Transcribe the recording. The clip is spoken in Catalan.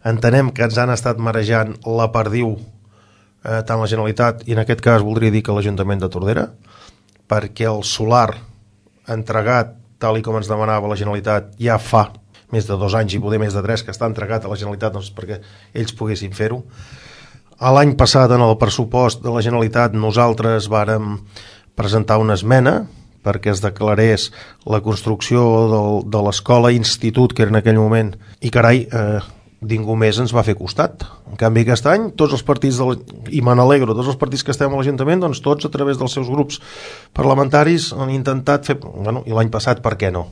entenem que ens han estat marejant la perdiu tant la Generalitat i en aquest cas voldria dir que l'Ajuntament de Tordera, perquè el solar entregat tal i com ens demanava la Generalitat ja fa més de 2 anys i poder més de 3 que està entregat a la Generalitat doncs, perquè ells poguessin fer-ho. L'any passat en el pressupost de la Generalitat nosaltres vàrem presentar una esmena perquè es declarés la construcció de l'escola institut que era en aquell moment i carai, ningú més ens va fer costat. En canvi aquest any tots els partits i me n'alegro, tots els partits que estem a l'Ajuntament doncs tots a través dels seus grups parlamentaris han intentat fer, i l'any passat per què no?